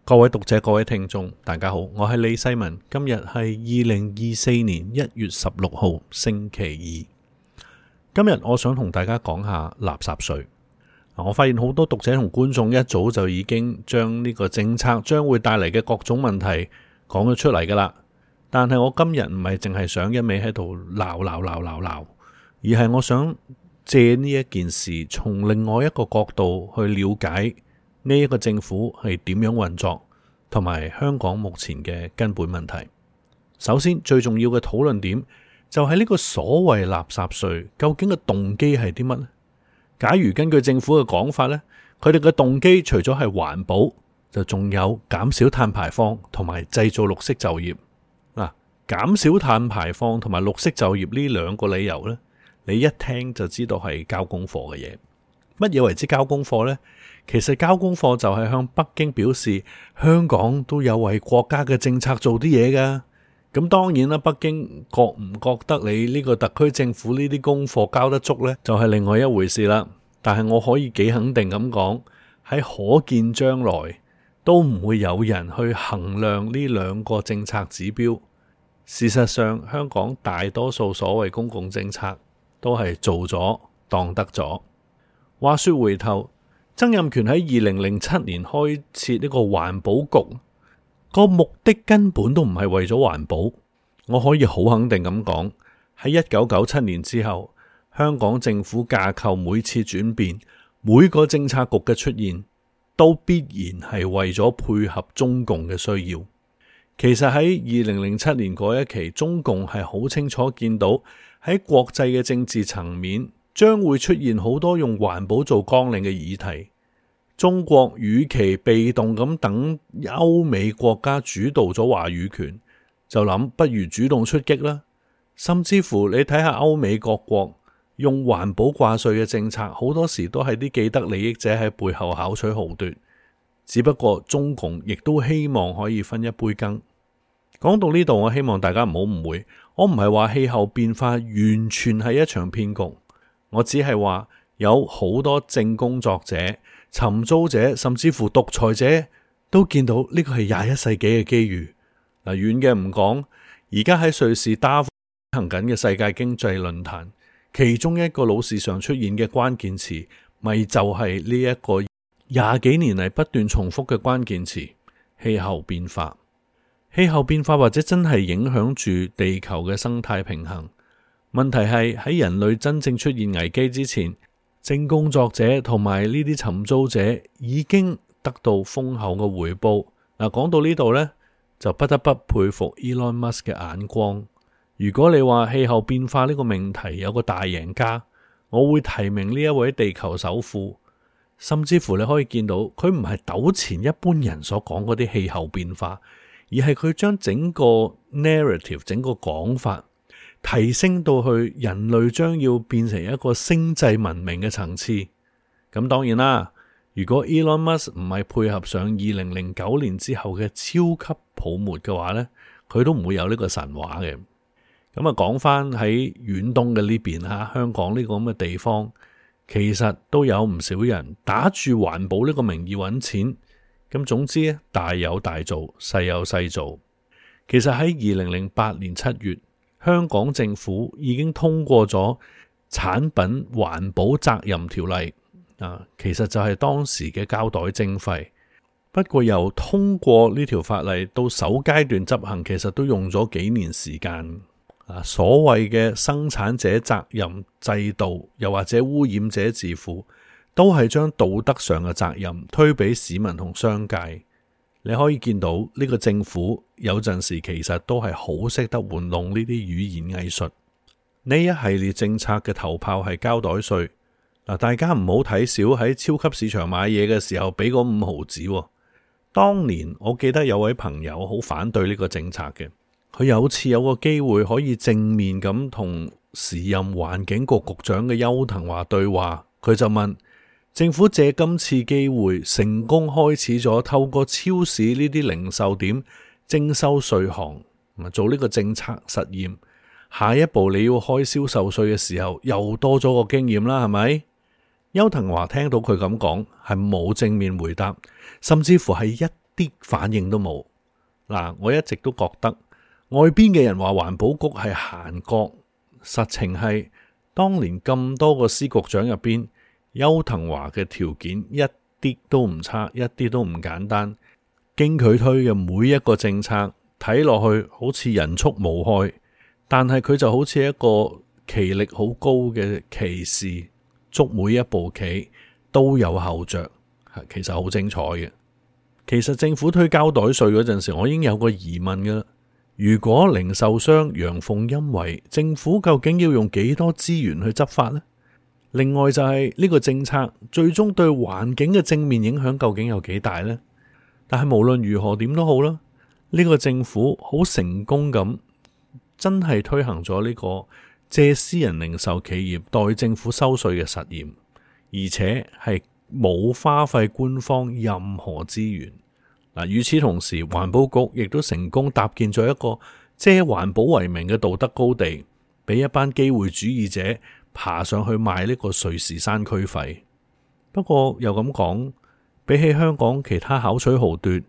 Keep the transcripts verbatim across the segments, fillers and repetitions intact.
各位讀者、各位聽眾，大家好，我係李世民。今日係二零二四年一月十六號，星期二。今日我想同大家講下垃圾稅。我發現好多讀者同觀眾一早就已經將呢個政策將會帶嚟嘅各種問題講咗出嚟噶啦。但係我今日唔係淨係想一味喺度鬧鬧鬧鬧鬧，而係我想借呢一件事從另外一個角度去了解呢一個政府係點樣運作，同埋香港目前嘅根本問題。首先最重要嘅討論點就係呢個所謂垃圾稅究竟嘅動機係啲乜呢？假如根據政府嘅講法呢，佢哋嘅動機除咗係環保，就仲有減少碳排放同埋製造綠色就業。嗱，減少碳排放同埋綠色就業呢兩個理由呢，你一聽就知道係交功課嘅嘢。乜嘢為之交功課呢？其實交功課就係向北京表示香港都有為國家嘅政策做啲嘢噶。咁當然啦，北京覺唔覺得你呢個特區政府呢啲功課交得足呢，就係另外一回事啦。但係我可以幾肯定咁講，喺可見將來都唔會有人去衡量呢兩個政策指標。事實上，香港大多數所謂公共政策都係做咗當得咗。話說回頭，曾蔭權喺二零零七年開設呢個環保局，個目的根本都唔係為咗環保。我可以好肯定咁講，喺一九九七年之後，香港政府架構每次轉變，每個政策局嘅出現，都必然係為咗配合中共嘅需要。其實喺二零零七年嗰一期，中共係好清楚見到喺國際嘅政治層面將會出現好多用環保做綱領嘅議題。中國與其被動咁等歐美國家主導咗話語權，就諗不如主動出擊啦。甚至乎你睇下歐美各國用環保掛帥嘅政策，好多時都係啲既得利益者喺背後巧取豪奪。只不過中共亦都希望可以分一杯羹。講到呢度，我希望大家唔好誤會，我唔係話氣候變化完全係一場騙局，我只係話有好多正工作者、尋租者甚至乎獨裁者都見到呢個係廿一世紀嘅機遇。嗱，遠嘅唔講，而家喺瑞士達沃行緊嘅世界經濟論壇，其中一個老是常出現嘅關鍵詞，咪就係呢一個廿幾年嚟不斷重複嘅關鍵詞：氣候變化。氣候變化或者真係影響住地球嘅生態平衡。問題係喺人類真正出現危機之前，正工作者同埋呢啲尋租者已經得到豐厚嘅回報。嗱，講到呢度呢，就不得不佩服 Elon Musk 嘅眼光。如果你話氣候變化呢個命題有個大贏家，我會提名呢一位地球首富。甚至乎你可以見到佢唔係糾纏一般人所講嗰啲氣候變化，而係佢將整個 narrative 整個講法提升到去人類將要變成一個星際文明嘅層次。咁當然啦，如果 Elon Musk 唔係配合上二零零九年之後嘅超級泡沫嘅話呢，佢都唔會有呢個神話嘅。咁啊，講翻喺遠東嘅呢邊吓，香港呢個咁嘅地方，其實都有唔少人打住環保呢個名義揾錢。咁總之咧，大有大做，細有細做。其實喺二零零八年七月，香港政府已經通過咗產品環保責任條例啊，其實就係當時嘅膠袋徵費。不過由通過呢條法例到首階段執行，其實都用咗幾年時間。啊，所謂嘅生產者責任制度，又或者污染者自負，都係將道德上嘅責任推俾市民同商界。你可以見到呢個政府有陣時其實都係好識得玩弄呢啲語言藝術。呢一系列政策嘅頭炮係膠袋稅。嗱，大家唔好睇少喺超級市場買嘢嘅時候俾嗰五毫子。當年我記得有位朋友好反對呢個政策嘅，佢有次有個機會可以正面咁同時任環境局局長嘅邱騰華對話，佢就問政府借今次機會成功開始咗透過超市呢啲零售點徵收稅項，做呢個政策實驗。下一步你要開銷售稅嘅時候，又多咗個經驗啦，係咪？邱騰華聽到佢咁講，係冇正面回答，甚至乎係一啲反應都冇。嗱，我一直都覺得外邊嘅人話環保局係閒閣，實情係當年咁多個司局長入邊，邱騰華嘅條件一啲都唔差，一啲都唔簡單。經佢推嘅每一個政策，睇落去好似人畜無害，但係佢就好似一個棋力好高嘅棋士，捉每一步棋都有後着，其實好精彩嘅。其實政府推膠袋稅嗰陣時，我已經有個疑問噶啦。如果零售商陽奉陰違，政府究竟要用幾多資源去執法呢？另外就係呢個政策最終對環境嘅正面影響究竟有幾大呢？但係無論如何點都好啦，呢個政府好成功咁，真係推行咗呢個借私人零售企業代政府收稅嘅實驗，而且係冇花費官方任何資源。嗱，與此同時，環保局亦都成功搭建咗一個借環保為名嘅道德高地，俾一班機會主義者爬上去賣呢個瑞士山區費。不過又咁講，比起香港其他巧取豪奪、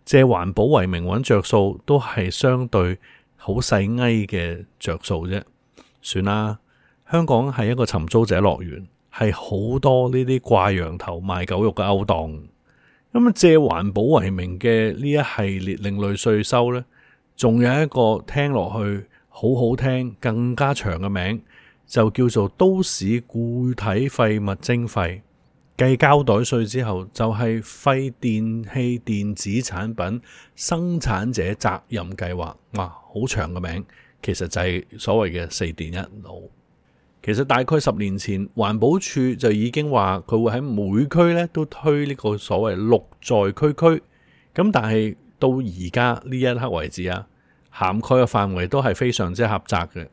借環保為名揾着數，都係相對好細埃嘅着數啫。算啦，香港係一個尋租者樂園，係好多呢啲掛羊頭賣狗肉嘅勾當。咁借環保為名嘅呢一系列另類稅收呢，仲有一個聽落去好好聽、更加長嘅名，就叫做都市固體廢物徵費。繼膠袋稅之後，就係廢電器電子產品生產者責任計劃。哇，好長嘅名，其實就係所謂嘅四電一腦。其實大概十年前，環保署就已經話佢會喺每區咧都推呢個所謂綠在區區。咁但係到而家呢一刻為止啊，涵蓋嘅範圍都係非常之狹窄嘅。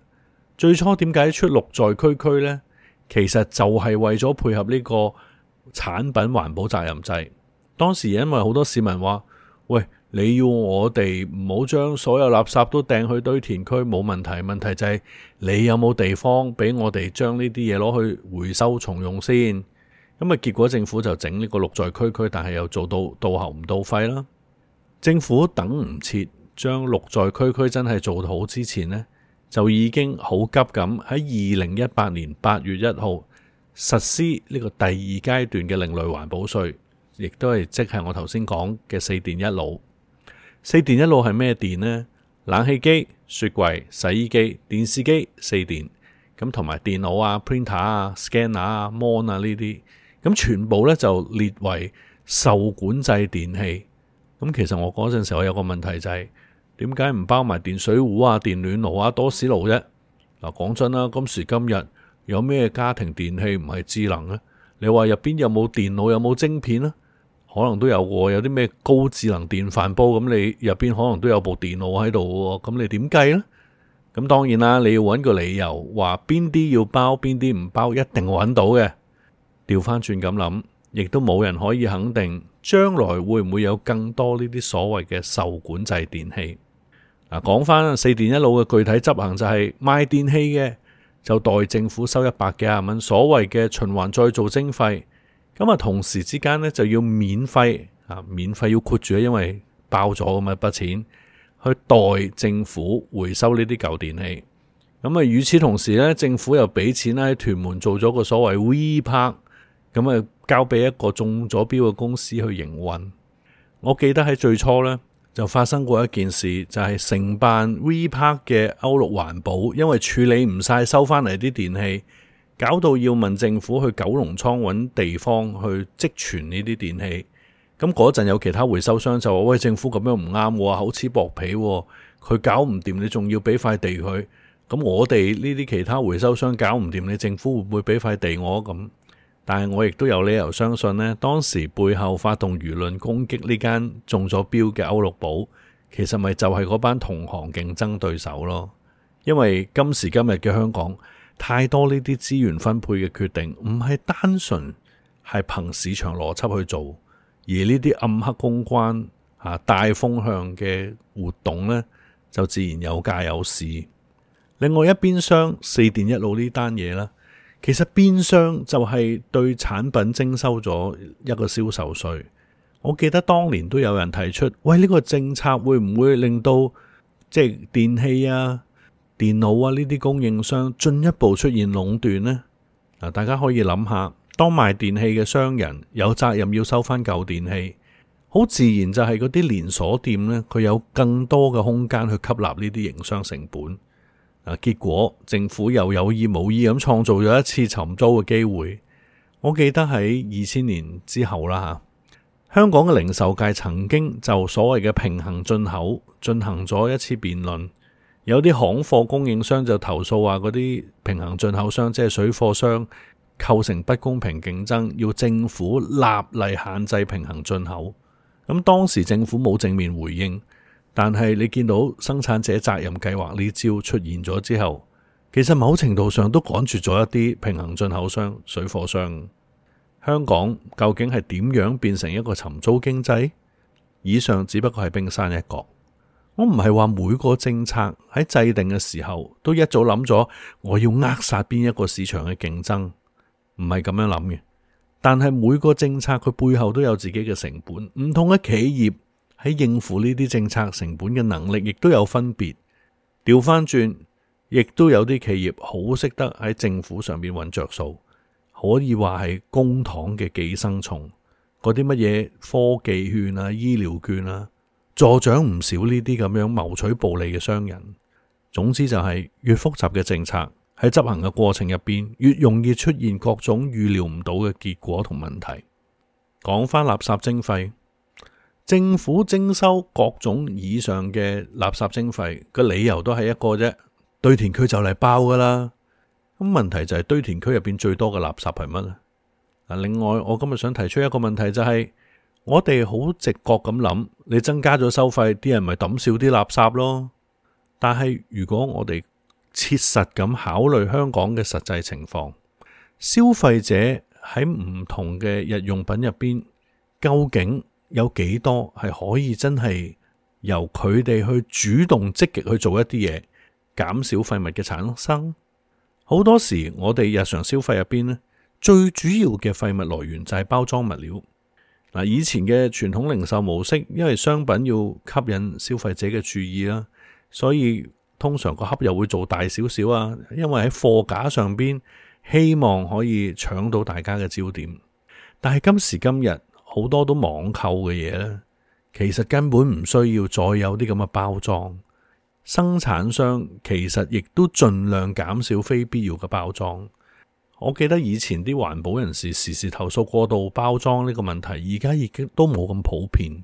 最初點解出綠在區區呢？其實就係為咗配合呢個產品環保責任制。當時因為好多市民話，喂，你要我哋唔好將所有垃圾都掟去堆填區，冇問題，問題就係你有冇地方俾我哋將呢啲嘢攞去回收重用先。咁啊，結果政府就整呢個綠在區區，但係又做到到喉唔到肺啦。政府等唔切將綠在區區真係做好之前呢，就已經好急咁喺二零一八年八月一號實施呢個第二階段嘅另類環保稅，亦都係即係我頭先講嘅四電一腦。四電一腦係咩電呢？冷氣機、雪櫃、洗衣機、電視機四電，咁同埋電腦啊、printer 啊、scanner 啊、mon 啊呢啲，咁全部咧就列為受管制電器。咁其實我嗰陣時我有個問題就係、是，點解唔包埋電水壺啊、電暖爐啊、多士爐啫？嗱，講真啦，今時今日有咩家庭電器唔係智能咧？你話入邊有冇電腦，有冇晶片咧？可能都有喎，有啲咩高智能電飯煲，咁你入邊可能都有部電腦喺度喎，咁你點計呢？咁當然啦，你要揾個理由話邊啲要包，邊啲唔包，一定揾到嘅。調翻轉咁諗，亦都冇人可以肯定將來會唔會有更多呢啲所謂嘅受管制電器。嗱，講翻四電一腦嘅具體執行就係賣電器嘅就代政府收一百幾廿蚊，所謂嘅循環再造徵費。咁啊，同時之間咧就要免費啊，免費要括住，因為包咗咁一筆錢去代政府回收呢啲舊電器。咁啊，與此同時咧，政府又俾錢喺屯門做咗個所謂 V Park，咁啊交俾一個中咗標嘅公司去營運。我記得喺最初咧就發生過一件事，就係、是、承辦 V Park 嘅歐陸環保，因為處理唔晒收翻嚟啲電器，搞到要問政府去九龍倉揾地方去積存呢啲電器。咁嗰陣有其他回收商就話，喂，政府咁樣唔啱喎，厚此薄彼喎，佢搞唔掂，你仲要俾塊地佢。咁我哋呢啲其他回收商搞唔掂，你政府會唔會俾塊地我咁？但係我亦都有理由相信呢，當時背後發動輿論攻擊呢間中咗標嘅歐陸寶，其實咪就係嗰班同行競爭對手咯。因為今時今日嘅香港，太多呢啲資源分配嘅決定唔係單純係憑市場邏輯去做，而呢啲暗黑公關啊、大風向嘅活動呢，就自然有價有市。另外一邊廂四電一腦呢單嘢啦，其實變相就係對產品徵收咗一個銷售稅。我記得當年都有人提出，喂，呢個政策會唔會令到即係電器啊、電腦啊呢啲供應商進一步出現壟斷呢？嗱，大家可以諗下，當賣電器嘅商人有責任要收翻舊電器，好自然就係嗰啲連鎖店呢，佢有更多嘅空間去吸納呢啲營商成本。啊，結果政府又有意無意咁創造咗一次尋租嘅機會。我記得喺二千年之後啦吓，香港嘅零售界曾經就所謂嘅平衡進口進行咗一次辯論。有啲行貨供應商就投訴話嗰啲平衡進口商即係水貨商構成不公平競爭，要政府立例限制平衡進口。咁當時政府冇正面回應，但係你見到生產者責任計劃呢招出現咗之後，其實某程度上都趕住咗一啲平衡進口商、水貨商。香港究竟係點樣變成一個尋租經濟？以上只不過係冰山一角。我唔係話每個政策喺制定嘅時候都一早諗咗我要扼殺邊一個市場嘅競爭，唔係咁樣諗嘅。但係每個政策佢背後都有自己嘅成本，唔同嘅企業喺應付呢啲政策成本嘅能力亦都有分別。調翻轉，亦都有啲企業好識得喺政府上面揾着數，可以話係公帑嘅寄生蟲。嗰啲乜嘢科技券啊、醫療券啊，助長唔少呢啲咁樣謀取暴利嘅商人。總之就係越複雜嘅政策喺執行嘅過程入邊，越容易出現各種預料唔到嘅結果同問題。講返垃圾徵費，政府徵收各種以上嘅垃圾徵費個理由都係一個啫，堆填區就嚟爆噶啦。咁問題就係堆填區入邊最多嘅垃圾係乜咧？嗱，另外我今日想提出一個問題就係，我哋好直覺咁諗，你增加咗收費，啲人咪抌少啲垃圾咯。但係如果我哋切實咁考慮香港嘅實際情況，消費者喺唔同嘅日用品入邊，究竟有幾多係可以真係由佢哋去主動積極去做一啲嘢，減少廢物嘅產生？好多時我哋日常消費入邊呢，最主要嘅廢物來源就係包裝物料。嗱，以前嘅傳統零售模式，因為商品要吸引消費者嘅注意啦，所以通常個盒又會做大少少啊，因為喺貨架上邊希望可以搶到大家嘅焦點。但係今時今日好多都網購嘅嘢咧，其實根本唔需要再有啲咁嘅包裝。生產商其實亦都盡量減少非必要嘅包裝。我記得以前啲環保人士時時投訴過度包裝呢個問題，而家已經都冇咁普遍。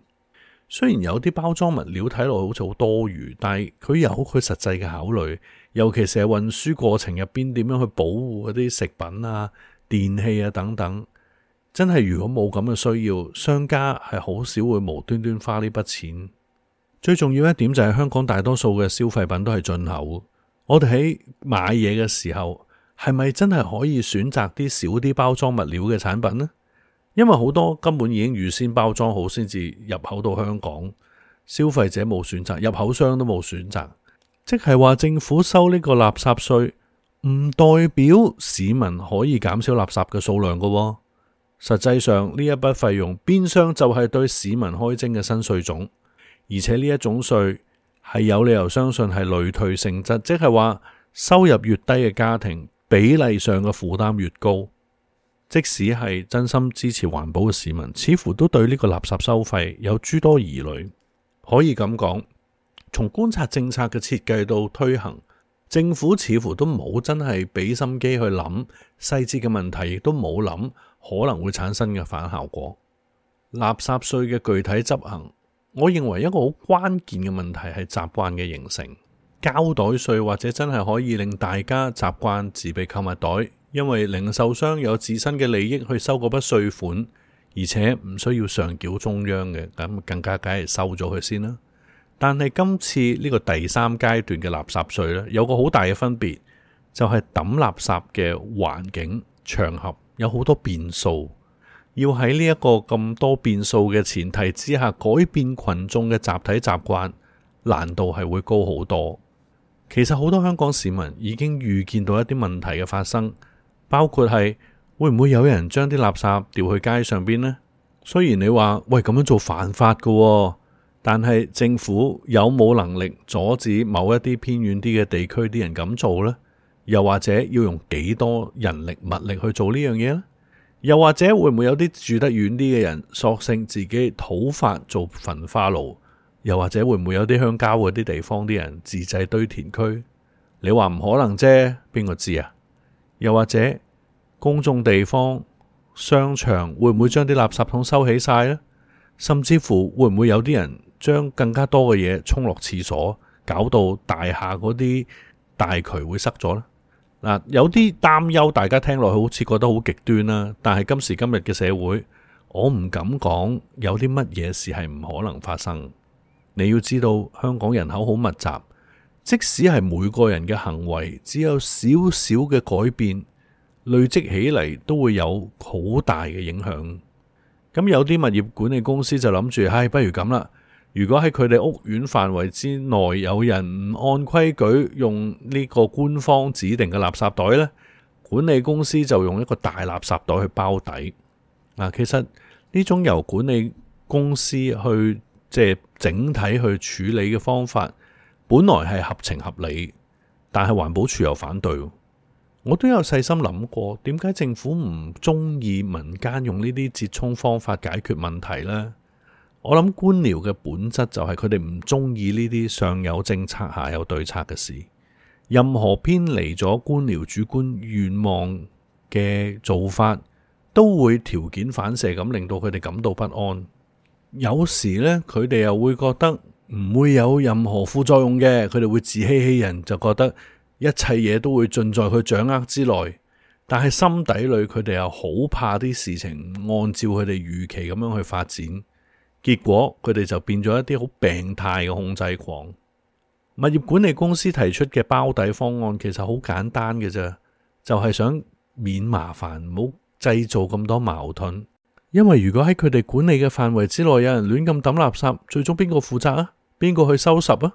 雖然有啲包裝物料睇落好似好多餘，但係佢有佢實際嘅考慮，尤其是係運輸過程入邊點樣去保護嗰啲食品啊、電器啊等等。真係如果冇咁嘅需要，商家係好少會無端端花呢筆錢。最重要一點就係香港大多數嘅消費品都係進口，我哋喺買嘢嘅時候係咪真係可以選擇啲少啲包裝物料嘅產品呢？因為好多根本已經預先包裝好先至入口到香港，消費者冇選擇，入口商都冇選擇，即係話政府收呢個垃圾稅唔代表市民可以減少垃圾嘅數量㗎喎。實際上呢一筆費用變相就係對市民開徵嘅新稅種，而且呢一種稅係有理由相信係累退性質，即係話收入越低嘅家庭比例上嘅負擔越高。即使係真心支持環保嘅市民，似乎都對呢個垃圾收費有諸多疑慮。可以咁講，從觀察政策嘅設計到推行，政府似乎都冇真係俾心機去諗細節嘅問題，亦都冇諗可能會產生嘅反效果。垃圾稅嘅具體執行，我認為一個好關鍵嘅問題係習慣嘅形成。膠袋稅或者真係可以令大家習慣自備購物袋，因為零售商有自身嘅利益去收嗰筆稅款，而且唔需要上繳中央嘅，咁更加梗係收咗佢先啦。但係今次呢個第三階段嘅垃圾稅呢，有個好大嘅分別，就係抌垃圾嘅環境場合有好多變數，要喺呢一個咁多變數嘅前提之下改變群眾嘅集體習慣，難度係會高好多。其實好多香港市民已經預見到一啲問題嘅發生，包括係會唔會有人將啲垃圾掉去街上邊呢？雖然你話喂咁樣做犯法㗎喎，但係政府有冇能力阻止某一啲偏遠啲嘅地區啲人咁做呢？又或者要用幾多人力物力去做呢樣嘢呢？又或者會唔會有啲住得遠啲嘅人索性自己土法做焚化爐？又或者會唔會有啲鄉郊嗰啲地方啲人自製堆填區？你話唔可能啫，邊個知啊？又或者公眾地方、商場會唔會將啲垃圾桶收起晒呢？甚至乎會唔會有啲人將更加多嘅嘢沖落廁所，搞到大廈嗰啲大渠會塞咗呢？嗱，有啲擔憂，大家聽落去好似覺得好極端啦。但係今時今日嘅社會，我唔敢講有啲乜嘢事係唔可能發生。你要知道，香港人口好密集，即使係每個人嘅行為只有少少嘅改變，累積起嚟都會有好大嘅影響。咁有啲物業管理公司就諗住，唉，不如咁啦。如果喺佢哋屋苑範圍之內有人唔按規矩用呢個官方指定嘅垃圾袋呢，管理公司就用一個大垃圾袋去包底。嗱，其實呢種由管理公司去即係整體去處理嘅方法，本來係合情合理，但係環保署又反對。我都有細心諗過，點解政府唔中意民間用呢啲折衷方法解決問題呢？我諗官僚嘅本質就係佢哋唔中意呢啲上有政策下有對策嘅事，任何偏離咗官僚主觀願望嘅做法，都會條件反射咁令到佢哋感到不安。有時呢，佢哋又會覺得唔會有任何副作用嘅，佢哋會自欺欺人，就覺得一切嘢都會盡在佢掌握之內。但係心底裏佢哋又好怕啲事情唔按照佢哋預期咁樣去發展。結果佢哋就變咗一啲好病態嘅控制狂。物業管理公司提出嘅包底方案其實好簡單嘅啫，就係想免麻煩，唔好製造咁多矛盾。因為如果喺佢哋管理嘅範圍之內有人亂咁抌垃圾，最終邊個負責啊？邊個去收拾啊？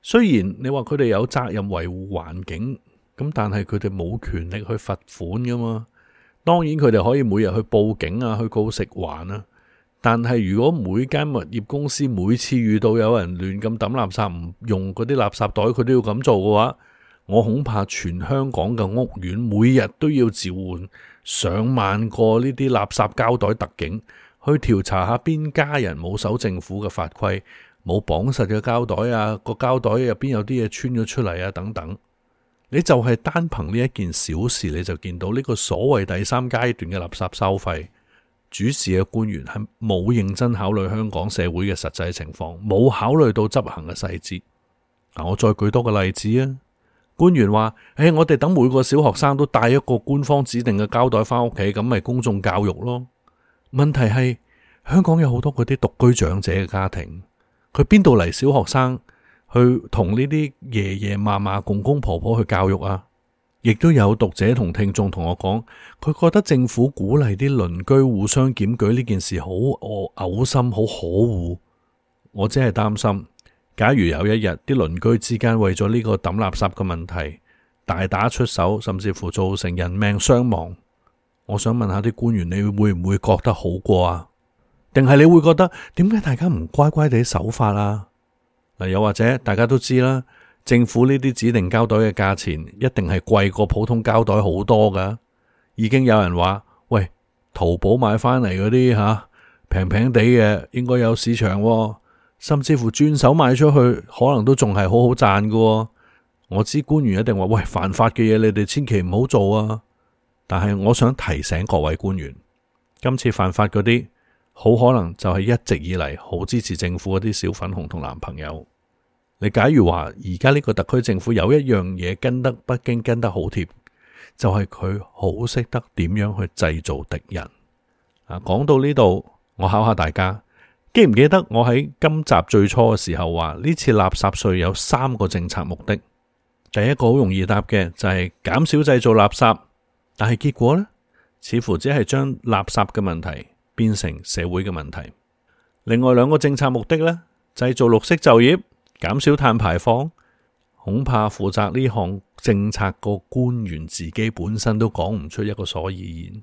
雖然你話佢哋有責任維護環境，咁但係佢哋冇權力去罰款噶嘛。當然佢哋可以每日去報警啊，去告食環啊。但係如果每間物業公司每次遇到有人亂咁抌垃圾，唔用嗰啲垃圾袋，佢都要咁做嘅話，我恐怕全香港嘅屋苑每日都要召喚上萬個呢啲垃圾膠袋特警去調查下邊家人冇守政府嘅法規，冇綁實嘅膠袋啊，個膠袋入邊有啲嘢穿咗出嚟啊等等。你就係單憑呢一件小事，你就見到呢個所謂第三階段嘅垃圾收費。主事嘅官員係冇認真考慮香港社會嘅實際情況，冇考慮到執行嘅細節。嗱，我再舉多個例子啊。官員話：誒，我哋等每個小學生都帶一個官方指定嘅膠袋翻屋企，咁咪公眾教育咯。問題係香港有好多嗰啲獨居長者嘅家庭，佢邊度嚟小學生去同呢啲爺爺嫲嫲、公公婆婆去教育啊？亦都有讀者同聽眾同我講，佢覺得政府鼓勵啲鄰居互相檢舉呢件事好嘔心，好可惡。我只係擔心，假如有一日啲鄰居之間為咗呢個抌垃圾嘅問題大打出手，甚至乎造成人命傷亡，我想問下啲官員，你會唔會覺得好過啊？定係你會覺得點解大家唔乖乖地守法啊？嗱，又或者大家都知啦。政府呢啲指定膠袋嘅價錢一定係貴過普通膠袋好多噶，已經有人話：喂，淘寶買翻嚟嗰啲吓平平地嘅應該有市場喎，甚至乎轉手賣出去可能都仲係好好賺噶。我知官員一定話：喂，犯法嘅嘢你哋千祈唔好做啊！但係我想提醒各位官員，今次犯法嗰啲好可能就係一直以嚟好支持政府嗰啲小粉紅同男朋友。你假如話而家呢個特區政府有一樣嘢跟得北京跟得好貼，就係佢好識得點樣去製造敵人。啊，講到呢度，我考下大家，記唔記得我喺今集最初嘅時候話呢次垃圾稅有三個政策目的？第一個好容易答嘅就係減少製造垃圾，但係結果呢，似乎只係將垃圾嘅問題變成社會嘅問題。另外兩個政策目的呢，製造綠色就業，減少碳排放，恐怕負責呢項政策個官員自己本身都講唔出一個所以然。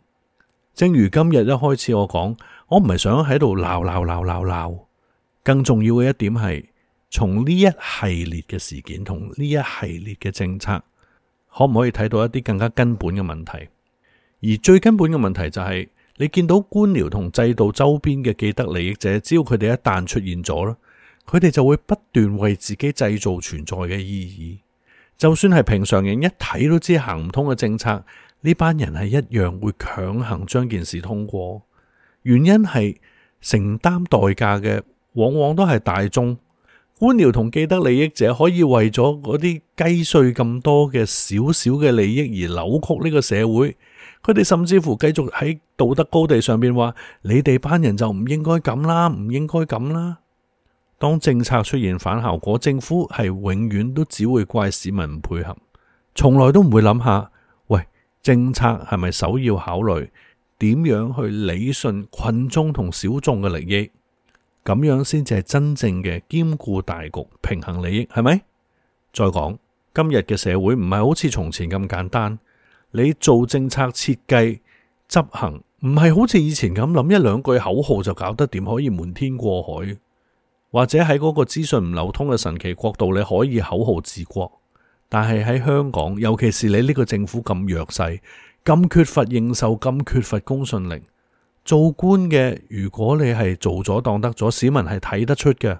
正如今日一開始我講，我唔係想喺度鬧鬧鬧鬧鬧，更重要嘅一點係，從呢一系列嘅事件同呢一系列嘅政策，可唔可以睇到一啲更加根本嘅問題？而最根本嘅問題就係，你見到官僚同制度周邊嘅既得利益者，只要佢哋一旦出現咗啦，佢哋就會不斷為自己製造存在嘅意義。就算係平常人一睇都知行唔通嘅政策，呢班人係一樣會強行將件事通過。原因係承擔代價嘅往往都係大眾。官僚同既得利益者可以為咗嗰啲雞碎咁多嘅少少嘅利益而扭曲呢個社會，佢哋甚至乎繼續喺道德高地上邊話：你哋班人就唔應該咁啦，唔應該咁啦。當政策出現反效果，政府係永遠都只會怪市民唔配合，從來都唔會諗下，喂，政策係咪首要考慮點樣去理順群眾同小眾嘅利益？咁樣先至係真正嘅兼顧大局、平衡利益，係咪？再講，今日嘅社會唔係好似從前咁簡單，你做政策設計、執行，唔係好似以前咁諗一兩句口號就搞得掂，可以瞞天過海，或者喺嗰個資訊唔流通嘅神奇國度，你可以口號治國。但係喺香港，尤其是你呢個政府咁弱勢、咁缺乏認受、咁缺乏公信力。做官嘅，如果你係做咗當得咗，市民係睇得出嘅。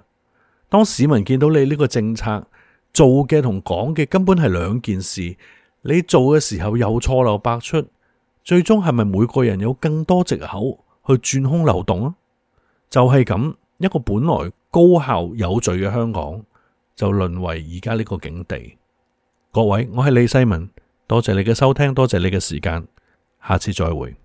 當市民見到你呢個政策做嘅同講嘅根本係兩件事，你做嘅時候又錯漏百出，最終係咪每個人有更多藉口去鑽空漏洞啊？就係咁，一個本來高效有序嘅香港，就淪為而家呢個境地。各位，我係李世民，多謝你嘅收聽，多謝你嘅時間，下次再會。